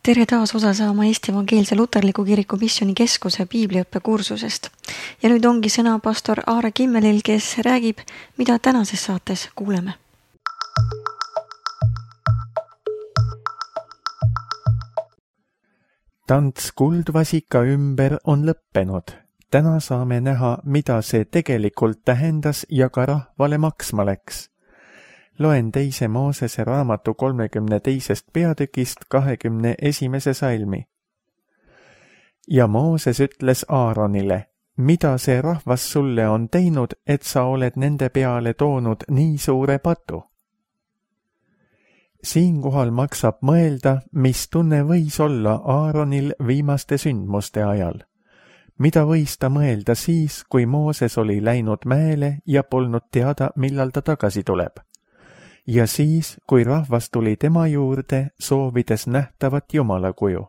Tere taas osa saama Eesti Evangeelse Luterliku Kiriku Missioonikeskuse piibliõppekursusest. Ja nüüd ongi sõna pastor Aare Kimmelil, kes räägib, mida tänases saates kuuleme. Tants kuldvasika ümber on lõppenud. Täna saame näha, mida see tegelikult tähendas ja ka rahvale maksma läks. Loen 2. Moosese raamatu 32. peatükist 21. salmi. Ja Mooses ütles Aaronile, mida see rahvas sulle on teinud, et sa oled nende peale toonud nii suure patu? Siinkohal maksab mõelda, mis tunne võis olla Aaronil viimaste sündmuste ajal. Mida võis ta mõelda siis, kui Mooses oli läinud mäele ja polnud teada, millal ta tagasi tuleb? Ja siis, kui rahvas tuli tema juurde, soovides nähtavat jumalakuju.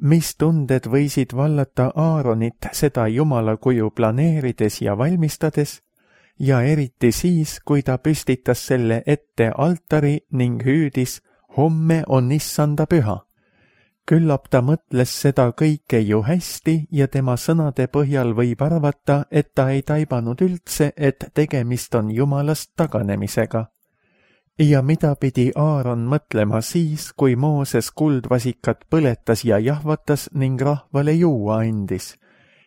Mis tunded võisid vallata Aaronit seda jumalakuju planeerides ja valmistades, ja eriti siis, kui ta püstitas selle ette altari ning hüüdis, homme on issanda püha. Küllap ta mõtles seda kõike ju hästi ja tema sõnade põhjal võib arvata, et ta ei taibanud üldse, et tegemist on jumalast taganemisega. Ja mida pidi Aaron mõtlema siis, kui Mooses kuldvasikat põletas ja jahvatas ning rahvale juua andis?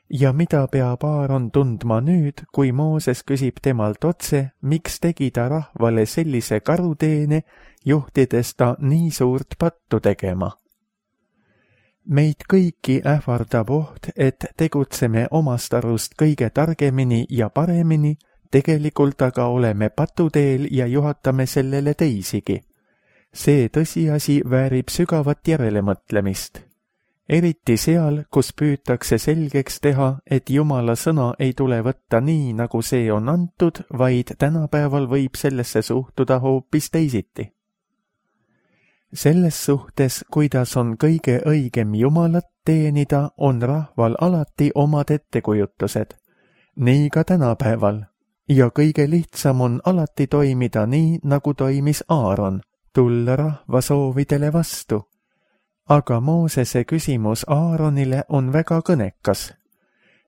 Ja mida peab Aaron tundma nüüd, kui Mooses küsib temalt otse, miks tegi ta rahvale sellise karuteene, juhtides ta nii suurt pattu tegema? Meid kõiki ähvardab oht, et tegutseme omast arust kõige targemini ja paremini, tegelikult aga oleme patuteel ja juhatame sellele teisigi. See tõsiasi väärib sügavat järelemõtlemist. Eriti seal, kus püütakse selgeks teha, et Jumala sõna ei tule võtta nii, nagu see on antud, vaid tänapäeval võib sellesse suhtuda hoopis teisiti. Selles suhtes, kuidas on kõige õigem Jumalat teenida, on rahval alati omad ettekujutused. Nii ka tänapäeval. Ja kõige lihtsam on alati toimida nii, nagu toimis Aaron, tulla rahva soovidele vastu. Aga Moosese küsimus Aaronile on väga kõnekas.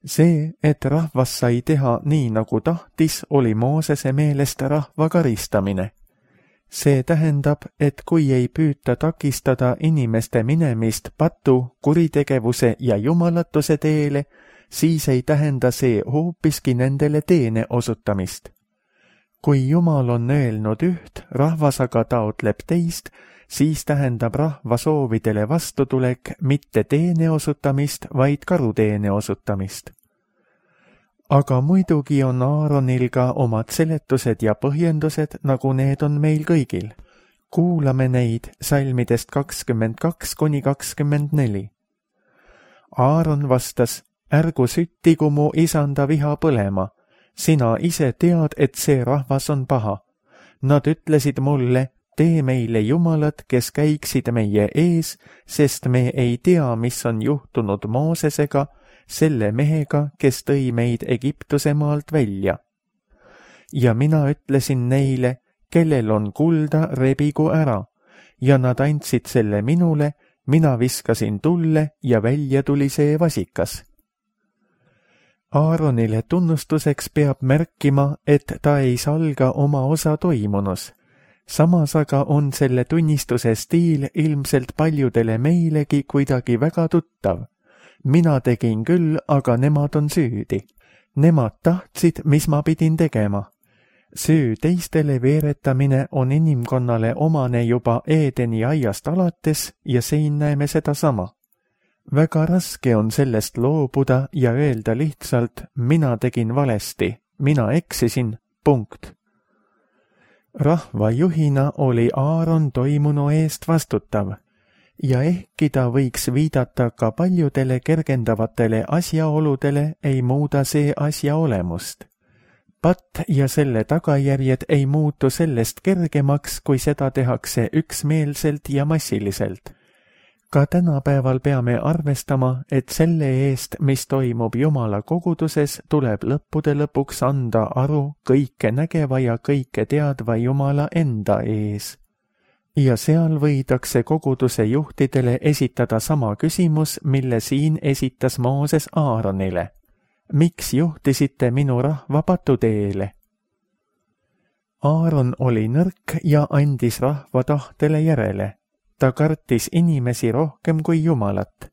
See, et rahvas sai teha nii, nagu tahtis, oli Moosese meelest rahva karistamine. See tähendab, et kui ei püüta takistada inimeste minemist patu, kuritegevuse ja jumalatuse teele, siis ei tähenda see hoopiski nendele teene osutamist. Kui Jumal on öelnud üht, rahvas aga taotleb teist, siis tähendab rahva soovidele vastutulek mitte teene osutamist, vaid karuteene osutamist. Aga muidugi on Aaronil ka omad seletused ja põhjendused, nagu need on meil kõigil. Kuulame neid salmidest 22–24. Aaron vastas, ärgu süttigu mu isanda viha põlema. Sina ise tead, et see rahvas on paha. Nad ütlesid mulle, tee meile jumalad, kes käiksid meie ees, sest me ei tea, mis on juhtunud Moosesega, selle mehega, kes tõi meid Egiptuse maalt välja. Ja mina ütlesin neile, kellel on kulda, rebigu ära, ja nad andsid selle minule, mina viskasin tulle ja välja tuli see vasikas. Aaronile tunnustuseks peab märkima, et ta ei salga oma osa toimunus. Samas aga on selle tunnistuse stiil ilmselt paljudele meilegi kuidagi väga tuttav. Mina tegin küll, aga nemad on süüdi. Nemad tahtsid, mis ma pidin tegema. Süü teistele veeretamine on inimkonnale omane juba Eedeni aiast alates ja siin näeme seda sama. Väga raske on sellest loobuda ja öelda lihtsalt, mina tegin valesti, mina eksisin, punkt. Rahva juhina oli Aaron toimunu eest vastutav ja ehkki ta võiks viidata ka paljudele kergendavatele asjaoludele, ei muuda see asja olemust. Patt ja selle tagajärjed ei muutu sellest kergemaks, kui seda tehakse üksmeelselt ja massiliselt. Ka tänapäeval peame arvestama, et selle eest, mis toimub Jumala koguduses, tuleb lõppude lõpuks anda aru kõike nägeva ja kõike teadva Jumala enda ees. ja seal võidakse koguduse juhtidele esitada sama küsimus, mille siin esitas Mooses Aaronile. Miks juhtisite minu rahva patuteele? Aaron oli nõrk ja andis rahva tahtele järele. Ta kartis inimesi rohkem kui Jumalat.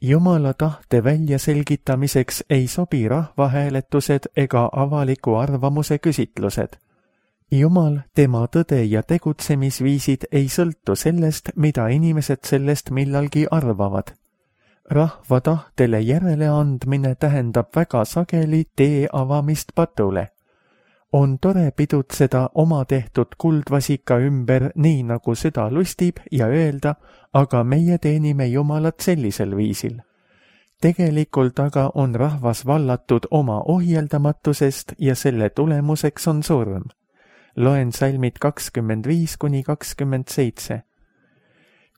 Jumala tahte väljaselgitamiseks ei sobi rahvahääletused ega avaliku arvamuse küsitlused. Jumal, tema tõde ja tegutsemisviisid ei sõltu sellest, mida inimesed sellest millalgi arvavad. Rahva tahtele järele andmine tähendab väga sageli tee avamist patule. On tore pidutseda oma tehtud kuldvasika ümber nii nagu süda lustib ja öelda, aga meie teenime Jumalat sellisel viisil. Tegelikult aga on rahvas vallatud oma ohjeldamatusest ja selle tulemuseks on surm. Loen salmid 25–27.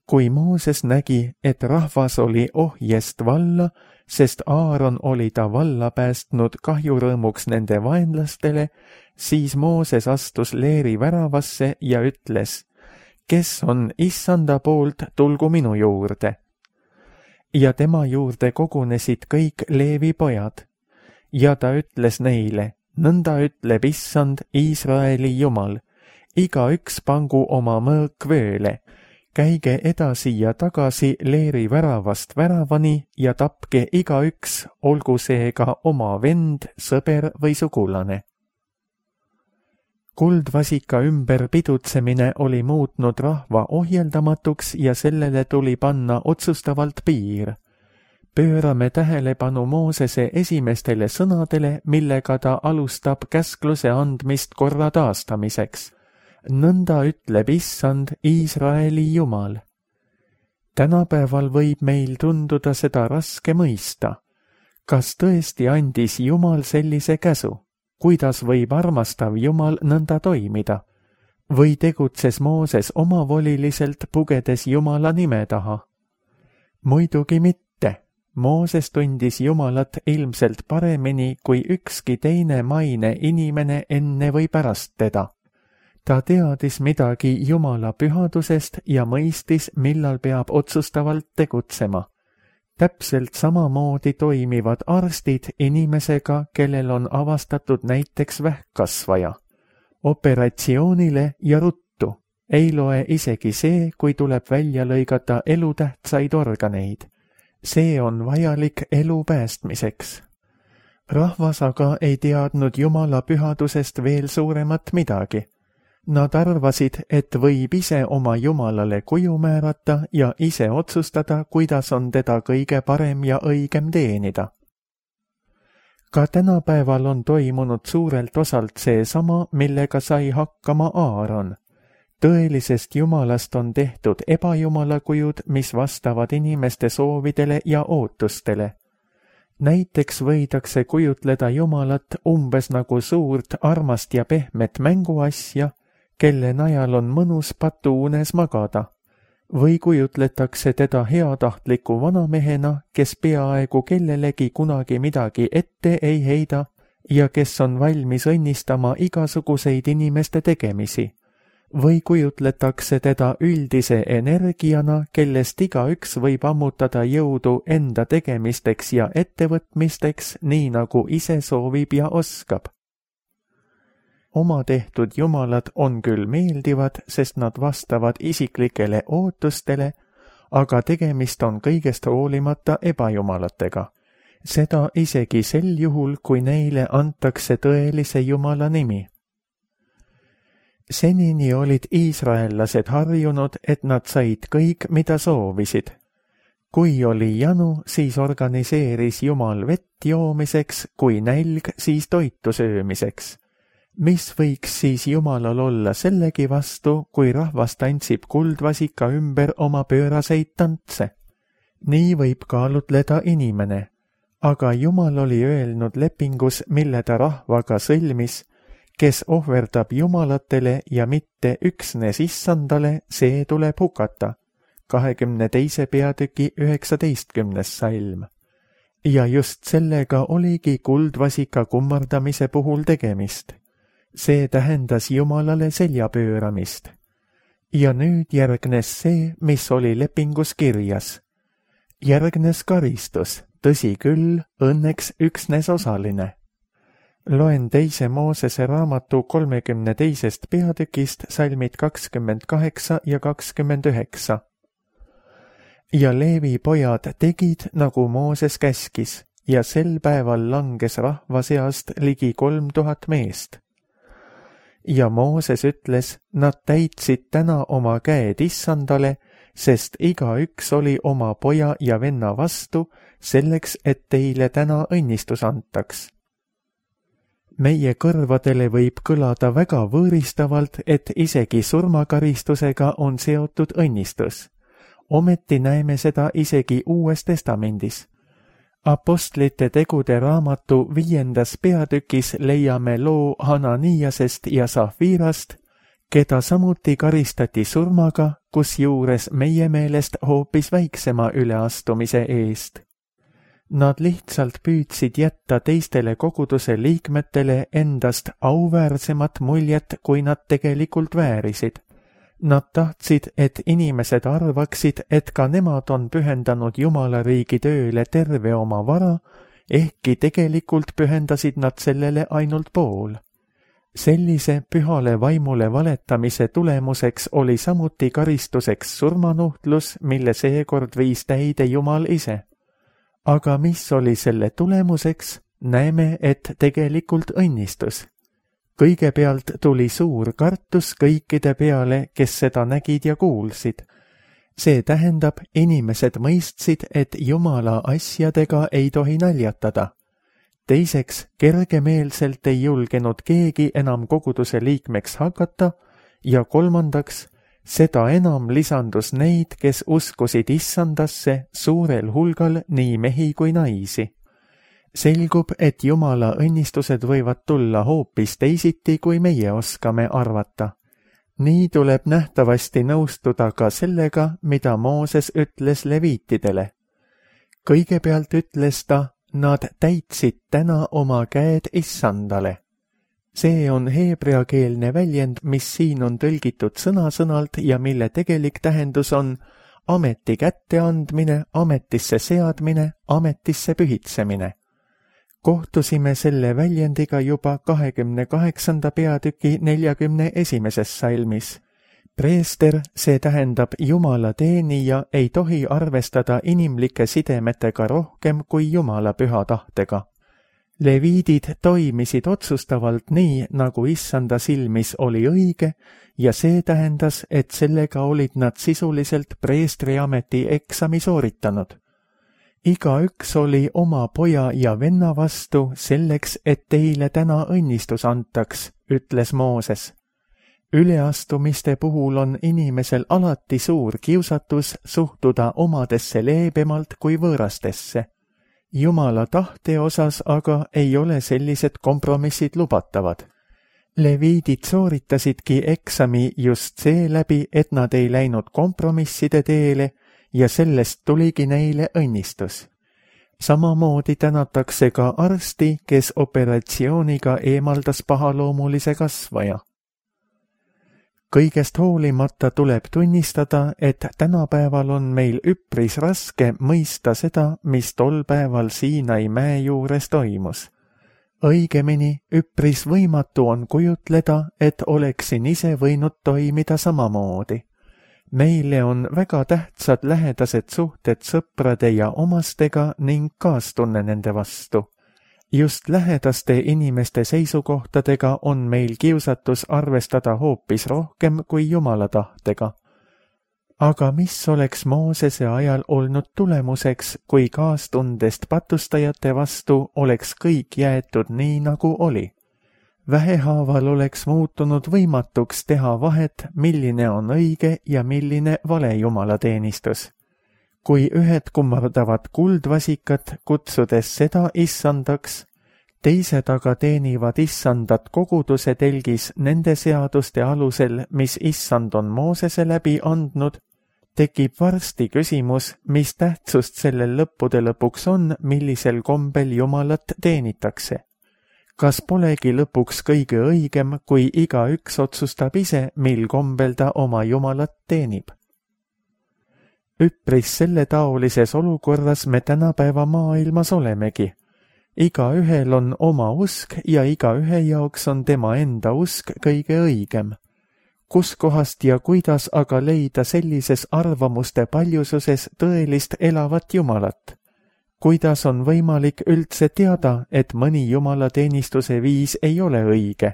Kui Mooses nägi, et rahvas oli ohjest valla, sest Aaron oli ta valla päästnud kahjurõõmuks nende vaenlastele, siis Mooses astus leeri väravasse ja ütles, kes on issanda poolt, tulgu minu juurde. Ja tema juurde kogunesid kõik Leevi pojad. Ja ta ütles neile, nõnda ütleb issand, Iisraeli Jumal, igaüks pangu oma mõõk vööle, käige edasi ja tagasi leeri väravast väravani ja tapke igaüks, olgu seega oma vend, sõber või sugulane. Kuldvasika ümber pidutsemine oli muutnud rahva ohjeldamatuks ja sellele tuli panna otsustavalt piir. Pöörame tähelepanu Moosese esimestele sõnadele, millega ta alustab käskluse andmist korra taastamiseks. Nõnda ütleb issand, Iisraeli Jumal. Tänapäeval võib meil tunduda seda raske mõista. Kas tõesti andis Jumal sellise käsu? Kuidas võib armastav Jumal nõnda toimida? Või tegutses Mooses omavoliliselt pugedes Jumala nime taha? Muidugi mitte. Mooses tundis Jumalat ilmselt paremini kui ükski teine maine inimene enne või pärast teda. Ta teadis midagi Jumala pühadusest ja mõistis, millal peab otsustavalt tegutsema. Täpselt samamoodi toimivad arstid inimesega, kellel on avastatud näiteks vähkkasvaja. Operatsioonile ja ruttu. Ei loe isegi see, kui tuleb välja lõigata elutähtsaid organeid. See on vajalik elu päästmiseks. Rahvas aga ei teadnud Jumala pühadusest veel suuremat midagi. Nad arvasid, et võib ise oma Jumalale kuju määrata ja ise otsustada, kuidas on teda kõige parem ja õigem teenida. Ka tänapäeval on toimunud suurelt osalt seesama, millega sai hakkama Aaron. Tõelisest Jumalast on tehtud ebajumalakujud, mis vastavad inimeste soovidele ja ootustele. Näiteks võidakse kujutleda Jumalat umbes nagu suurt, armast ja pehmet mänguasja, kelle najal on mõnus patuunes magada. Või kujutletakse teda heatahtliku vanamehena, kes peaaegu kellelegi kunagi midagi ette ei heida ja kes on valmis õnnistama igasuguseid inimeste tegemisi. Või kujutletakse teda üldise energiana, kellest igaüks võib ammutada jõudu enda tegemisteks ja ettevõtmisteks, nii nagu ise soovib ja oskab. Oma tehtud jumalad on küll meeldivad, sest nad vastavad isiklikele ootustele, aga tegemist on kõigest hoolimata ebajumalatega. Seda isegi sel juhul, kui neile antakse tõelise Jumala nimi. Senini olid iisraellased harjunud, et nad said kõik, mida soovisid. Kui oli janu, siis organiseeris Jumal vett joomiseks, kui nälg, siis toitu söömiseks. Mis võiks siis Jumalal olla sellegi vastu, kui rahvas tantsib kuldvasika ümber oma pööraseid tantse? Nii võib kaalutleda inimene, aga Jumal oli öelnud lepingus, mille ta rahvaga sõlmis, kes ohverdab jumalatele ja mitte üksnes issandale, see tuleb hukata. 22. peatüki 19. salm. Ja just sellega oligi kuldvasika kummardamise puhul tegemist. See tähendas Jumalale selja pööramist. Ja nüüd järgnes see, mis oli lepingus kirjas. Järgnes karistus, tõsi küll, õnneks üksnes osaline. Loen 2. Moosese raamatu 32. peatükist salmid 28 ja 29. Ja Leevi pojad tegid, nagu Mooses käskis, ja sel päeval langes rahva seast ligi 3000 meest. Ja Mooses ütles, nad täitsid täna oma käed Issandale, sest igaüks oli oma poja ja venna vastu, selleks, et teile täna õnnistus antaks. Meie kõrvadele võib kõlada väga võõristavalt, et isegi surmakaristusega on seotud õnnistus. Ometi näeme seda isegi Uues Testamendis. Apostlite tegude raamatu 5. peatükis leiame loo Hananiasest ja Safirast, keda samuti karistati surmaga, kusjuures meie meelest hoopis väiksema üleastumise eest. Nad lihtsalt püüdsid jätta teistele koguduse liikmetele endast auväärsemat muljet, kui nad tegelikult väärisid. Nad tahtsid, et inimesed arvaksid, et ka nemad on pühendanud Jumala riigi tööle terve oma vara, ehkki tegelikult pühendasid nad sellele ainult pool. Sellise pühale vaimule valetamise tulemuseks oli samuti karistuseks surmanuhtlus, mille seekord viis täide Jumal ise. Aga mis oli selle tulemuseks? Näeme, et tegelikult õnnistus. Kõigepealt tuli suur kartus kõikide peale, kes seda nägid ja kuulsid. See tähendab, inimesed mõistsid, et Jumala asjadega ei tohi naljatada. Teiseks, kergemeelselt ei julgenud keegi enam koguduse liikmeks hakata ja kolmandaks, seda enam lisandus neid, kes uskusid Issandasse suurel hulgal nii mehi kui naisi. Selgub, et Jumala õnnistused võivad tulla hoopis teisiti, kui meie oskame arvata. Nii tuleb nähtavasti nõustuda ka sellega, mida Mooses ütles leviitidele. Kõigepealt ütles ta, nad täitsid täna oma käed Issandale. See on heebreakeelne väljend, mis siin on tõlgitud sõna-sõnalt ja mille tegelik tähendus on ameti kätteandmine, ametisse seadmine, ametisse pühitsemine. Kohtusime selle väljendiga juba 28. peatüki 41. salmis. Preester, see tähendab Jumala teenija, ei tohi arvestada inimlike sidemetega rohkem kui Jumala püha tahtega. Leviidid toimisid otsustavalt nii, nagu Issanda silmis oli õige, ja see tähendas, et sellega olid nad sisuliselt preestriameti eksami sooritanud. Igaüks oli oma poja ja venna vastu selleks, et teile täna õnnistus antaks, ütles Mooses. Üleastumiste puhul on inimesel alati suur kiusatus suhtuda omadesse leebemalt kui võõrastesse. Jumala tahte osas aga ei ole sellised kompromissid lubatavad. Leviidid sooritasidki eksami just seeläbi, et nad ei läinud kompromisside teele ja sellest tuligi neile õnnistus. Samamoodi tänatakse ka arsti, kes operatsiooniga eemaldas pahaloomulise kasvaja. Kõigest hoolimata tuleb tunnistada, et tänapäeval on meil üpris raske mõista seda, mis tol päeval Siinai mäe juures toimus. Õigemini, üpris võimatu on kujutleda, et oleksin ise võinud toimida samamoodi. Meile on väga tähtsad lähedased suhted sõprade ja omastega ning kaastunne nende vastu. Just lähedaste inimeste seisukohtadega on meil kiusatus arvestada hoopis rohkem kui Jumala tahtega. Aga mis oleks Moosese ajal olnud tulemuseks, kui kaastundest patustajate vastu oleks kõik jäetud nii, nagu oli? Vähehaaval oleks muutunud võimatuks teha vahet, milline on õige ja milline vale jumalateenistus. Kui ühed kummardavad kuldvasikat, kutsudes seda Issandaks, teised aga teenivad Issandat koguduse telgis nende seaduste alusel, mis Issand on Moosese läbi andnud, tekib varsti küsimus, mis tähtsust sellel lõppude lõpuks on, millisel kombel Jumalat teenitakse. Kas polegi lõpuks kõige õigem, kui igaüks otsustab ise, mil kombel ta oma Jumalat teenib? Üpris selle taolises olukorras me tänapäeva maailmas olemegi. Igaühel on oma usk ja igaühe jaoks on tema enda usk kõige õigem. Kus kohast ja kuidas aga leida sellises arvamuste paljususes tõelist elavat Jumalat? Kuidas on võimalik üldse teada, et mõni jumalateenistuse viis ei ole õige?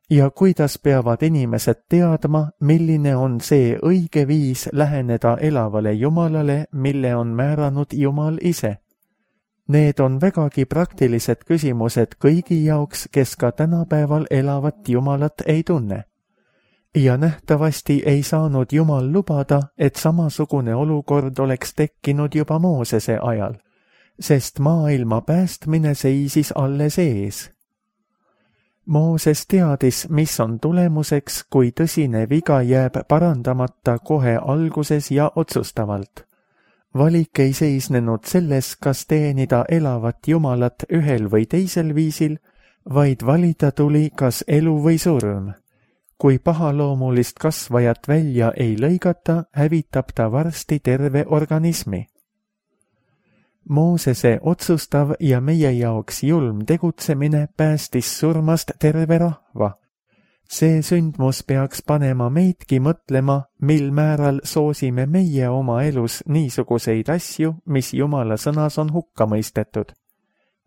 Ja kuidas peavad inimesed teadma, milline on see õige viis läheneda elavale Jumalale, mille on määranud Jumal ise? Need on vägagi praktilised küsimused kõigi jaoks, kes ka tänapäeval elavat Jumalat ei tunne. Ja nähtavasti ei saanud Jumal lubada, et samasugune olukord oleks tekkinud juba Moosese ajal, sest maailma päästmine seisis alles ees. Mooses teadis, mis on tulemuseks, kui tõsine viga jääb parandamata kohe alguses ja otsustavalt. Valik ei seisnenud selles, kas teenida elavat Jumalat ühel või teisel viisil, vaid valida tuli kas elu või surm. Kui pahaloomulist kasvajat välja ei lõigata, hävitab ta varsti terve organismi. Moosese otsustav ja meie jaoks julm tegutsemine päästis surmast terve rahva. See sündmus peaks panema meidki mõtlema, mil määral soosime meie oma elus niisuguseid asju, mis Jumala sõnas on hukka mõistetud.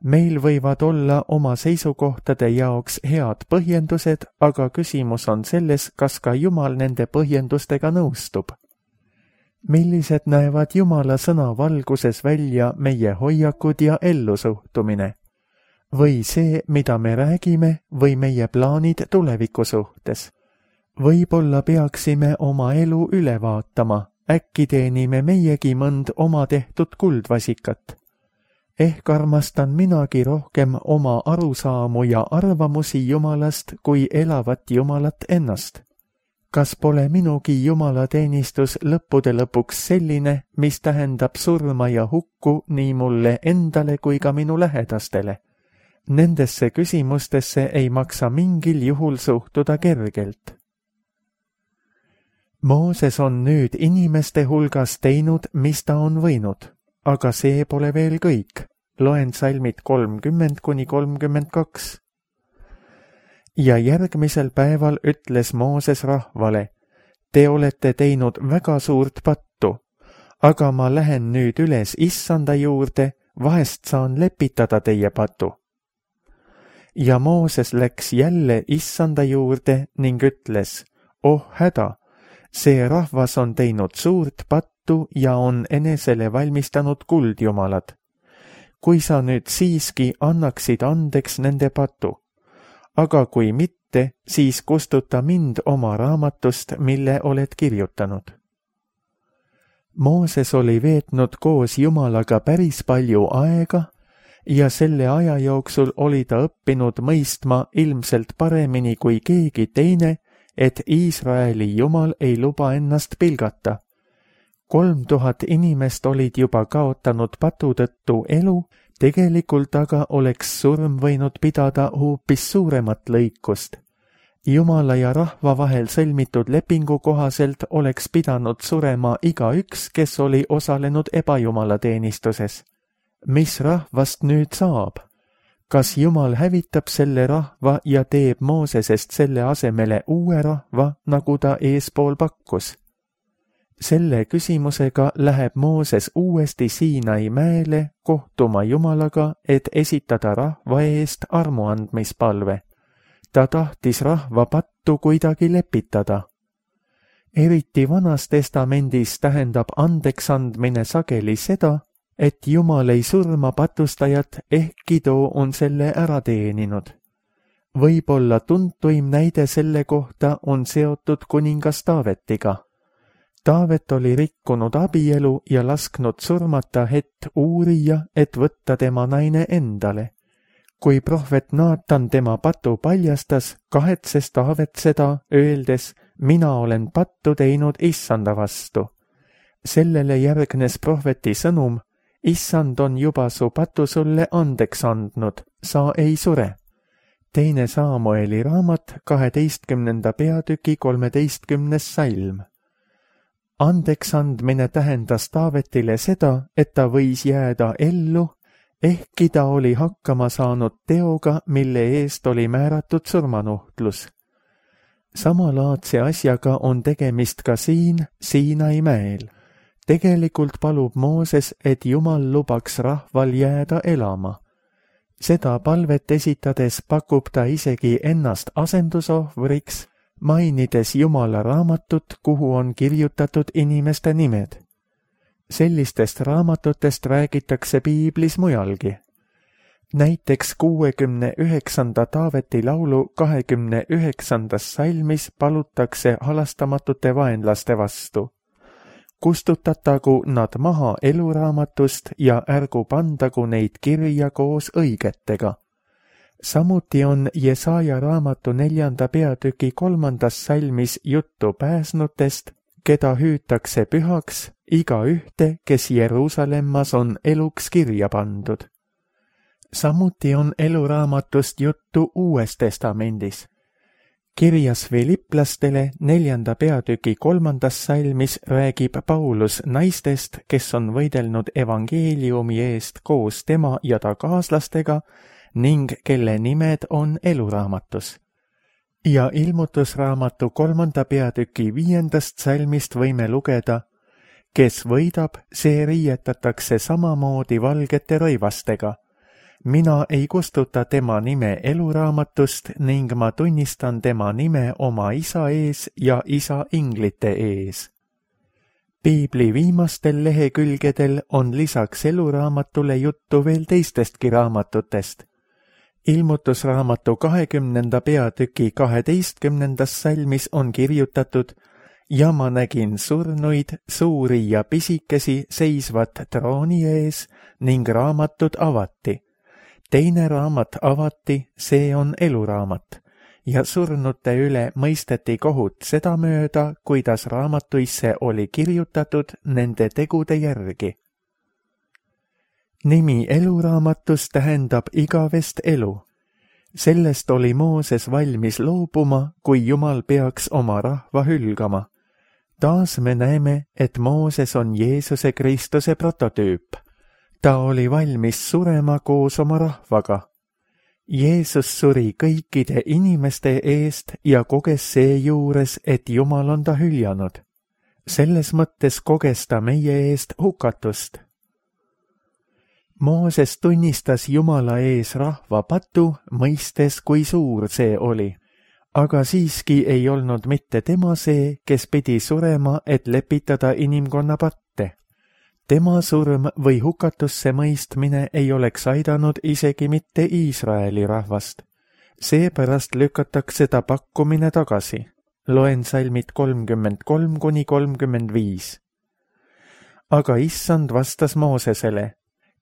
Meil võivad olla oma seisukohtade jaoks head põhjendused, aga küsimus on selles, kas ka Jumal nende põhjendustega nõustub. Millised näevad Jumala sõna valguses välja meie hoiakud ja ellusuhtumine? Või see, mida me räägime, või meie plaanid tuleviku suhtes? Võib-olla peaksime oma elu üle vaatama, äkki teenime meiegi mõnd oma tehtud kuldvasikat. Ehk armastan minagi rohkem oma arusaamu ja arvamusi Jumalast kui elavat Jumalat ennast. Kas pole minugi jumalateenistus lõppude lõpuks selline, mis tähendab surma ja hukku nii mulle endale kui ka minu lähedastele? Nendesse küsimustesse ei maksa mingil juhul suhtuda kergelt. Mooses on nüüd inimeste hulgas teinud, mis ta on võinud, aga see pole veel kõik. Loen salmid 30–32. Ja järgmisel päeval ütles Mooses rahvale, te olete teinud väga suurt pattu, aga ma lähen nüüd üles Issanda juurde, vahest saan lepitada teie patu. Ja Mooses läks jälle Issanda juurde ning ütles, oh häda, see rahvas on teinud suurt pattu ja on enesele valmistanud kuldjumalad. Kui sa nüüd siiski annaksid andeks nende patu, aga kui mitte, siis kustuta mind oma raamatust, mille oled kirjutanud. Mooses oli veetnud koos Jumalaga päris palju aega ja selle aja jooksul oli ta õppinud mõistma ilmselt paremini kui keegi teine, et Iisraeli Jumal ei luba ennast pilgata. 3000 inimest olid juba kaotanud patu tõttu elu, tegelikult aga oleks surm võinud pidada hoopis suuremat lõikust. Jumala ja rahva vahel sõlmitud lepingu kohaselt oleks pidanud surema igaüks, kes oli osalenud ebajumalateenistuses. Mis rahvast nüüd saab? Kas Jumal hävitab selle rahva ja teeb Moosesest selle asemele uue rahva, nagu ta eespool pakkus? Selle küsimusega läheb Mooses uuesti Siinai mäele kohtuma Jumalaga, et esitada rahva eest armuandmispalve. Ta tahtis rahva pattu kuidagi lepitada. Eriti Vanas Testamendis tähendab andeksandmine sageli seda, et Jumal ei surma patustajat, ehkki too on selle ära teeninud. Võib-olla tuntuim näide selle kohta on seotud kuningas Taavetiga. Taavet oli rikkunud abielu ja lasknud surmata Het Uurija, et võtta tema naine endale. Kui prohvet Naatan tema patu paljastas, kahetses Taavet seda, öeldes, mina olen pattu teinud Issanda vastu. Sellele järgnes prohveti sõnum, Issand on juba su patu sulle andeks andnud, sa ei sure. Teine Saamueli raamat 12. peatüki 13. salm. Andeksandmine tähendas Taavetile seda, et ta võis jääda ellu, ehkki ta oli hakkama saanud teoga, mille eest oli määratud surmanuhtlus. Samalaadse asjaga on tegemist ka siin Siinai mäel. Tegelikult palub Mooses, et Jumal lubaks rahval jääda elama. Seda palvet esitades pakub ta isegi ennast asendusohvriks, mainides Jumala raamatut, kuhu on kirjutatud inimeste nimed. Sellistest raamatutest räägitakse piiblis mujalgi. Näiteks 69. Taaveti laulu 29. salmis palutakse halastamatute vaenlaste vastu. Kustutatagu nad maha eluraamatust ja ärgu pandagu neid kirja koos õigetega. Samuti on Jesaja raamatu 4. peatüki 3. salmis juttu pääsnutest, keda hüütakse pühaks, igaühte, kes Jeruusalemmas on eluks kirja pandud. Samuti on eluraamatust juttu Uues Testamendis. Kirjas Filiplastele 4. peatüki 3. salmis räägib Paulus naistest, kes on võidelnud evangeeliumi eest koos tema ja ta kaaslastega ning kelle nimed on eluraamatus. Ja ilmutusraamatu 3. peatüki 5. salmist võime lugeda, kes võidab, see riietatakse samamoodi valgete rõivastega. Mina ei kustuta tema nime eluraamatust ning ma tunnistan tema nime oma isa ees ja isa inglite ees. Piibli viimastel lehekülgedel on lisaks eluraamatule juttu veel teistestki raamatutest. Ilmutusraamatu 20. peatüki 12. salmis on kirjutatud: ja ma nägin surnuid, suuri ja pisikesi seisvat trooni ees ning raamatud avati. Teine raamat avati, see on eluraamat, ja surnute üle mõisteti kohut sedamööda, kuidas raamatuisse oli kirjutatud nende tegude järgi. Nimi eluraamatus tähendab igavest elu. Sellest oli Mooses valmis loobuma, kui Jumal peaks oma rahva hülgama. Taas me näeme, et Mooses on Jeesuse Kristuse prototüüp. Ta oli valmis surema koos oma rahvaga. Jeesus suri kõikide inimeste eest ja koges seejuures, et Jumal on ta hüljanud. Selles mõttes koges ta meie eest hukatust. Mooses tunnistas Jumala ees rahva patu, mõistes, kui suur see oli. Aga siiski ei olnud mitte tema see, kes pidi surema, et lepitada inimkonna patte. Tema surm või hukatusse mõistmine ei oleks aidanud isegi mitte Iisraeli rahvast. Seepärast lükatakse ta pakkumine tagasi. Loen salmid 33–35. Aga issand vastas Moosesele: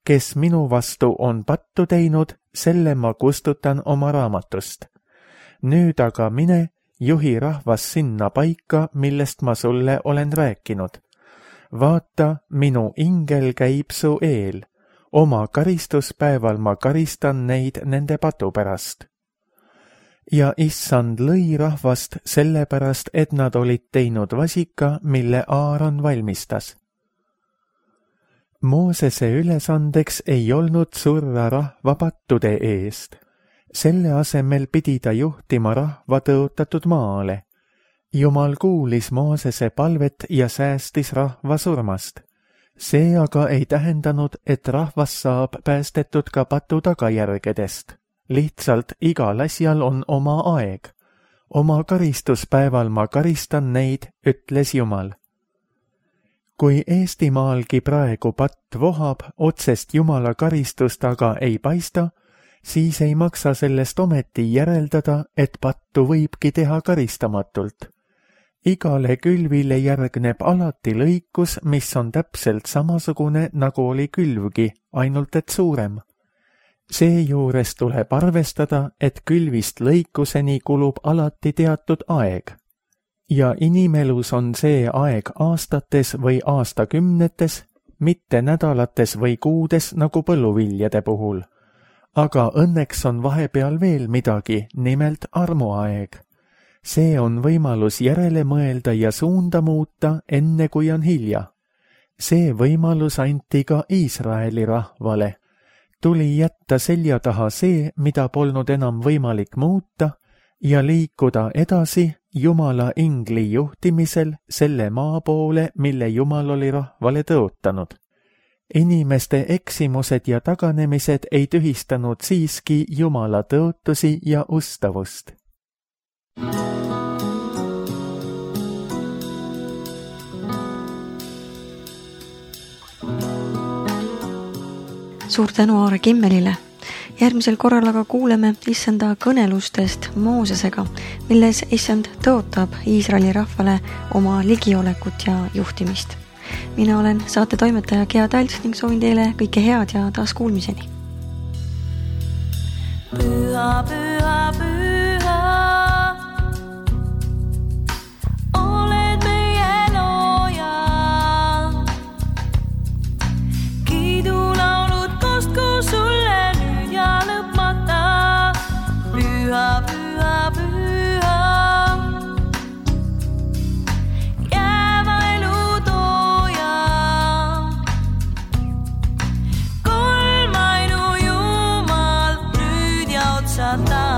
kes minu vastu on pattu teinud, selle ma kustutan oma raamatust. Nüüd aga mine, juhi rahvas sinna paika, millest ma sulle olen rääkinud. Vaata, minu ingel käib su eel. Oma karistuspäeval ma karistan neid nende patu pärast. Ja issand lõi rahvast sellepärast, et nad olid teinud vasika, mille Aaron valmistas. Moosese ülesandeks ei olnud surra rahva pattude eest. Selle asemel pidi ta juhtima rahva tõotatud maale. Jumal kuulis Moosese palvet ja säästis rahva surmast. See aga ei tähendanud, et rahvas saab päästetud ka patu tagajärgedest. Lihtsalt igal asjal on oma aeg. Oma karistuspäeval ma karistan neid, ütles Jumal. Kui Eestimaalgi praegu patt vohab, otsest Jumala karistust aga ei paista, siis ei maksa sellest ometi järeldada, et pattu võibki teha karistamatult. Igale külvile järgneb alati lõikus, mis on täpselt samasugune, nagu oli külvgi, ainult et suurem. Seejuures tuleb arvestada, et külvist lõikuseni kulub alati teatud aeg. Ja inimelus on see aeg aastates või aastakümnetes, mitte nädalates või kuudes nagu põlluviljade puhul. aga õnneks on vahepeal veel midagi, nimelt armuaeg. See on võimalus järele mõelda ja suunda muuta, enne kui on hilja. See võimalus anti ka Iisraeli rahvale. Tuli jätta selja taha see, mida polnud enam võimalik muuta, ja liikuda edasi Jumala ingli juhtimisel selle maa poole, mille Jumal oli rahvale tõotanud. Inimeste eksimused ja taganemised ei tühistanud siiski Jumala tõotusi ja ustavust. Suur tänu Aare Kimmelile. Järgmisel korral aga kuuleme issanda kõnelustest Moosesega, milles issand tõotab Iisraeli rahvale oma ligiolekut ja juhtimist. Mina olen saate toimetaja Gea Talts ning soovin teile kõike head ja taas kuulmiseni. Püha, püha, püha, oled meie looja. Kiidulaulud kostku sulle nüüd ja lõpmata. Püha, püha, püha, jääva elu tooja. Kolmainu Jumal nüüd ja otsata.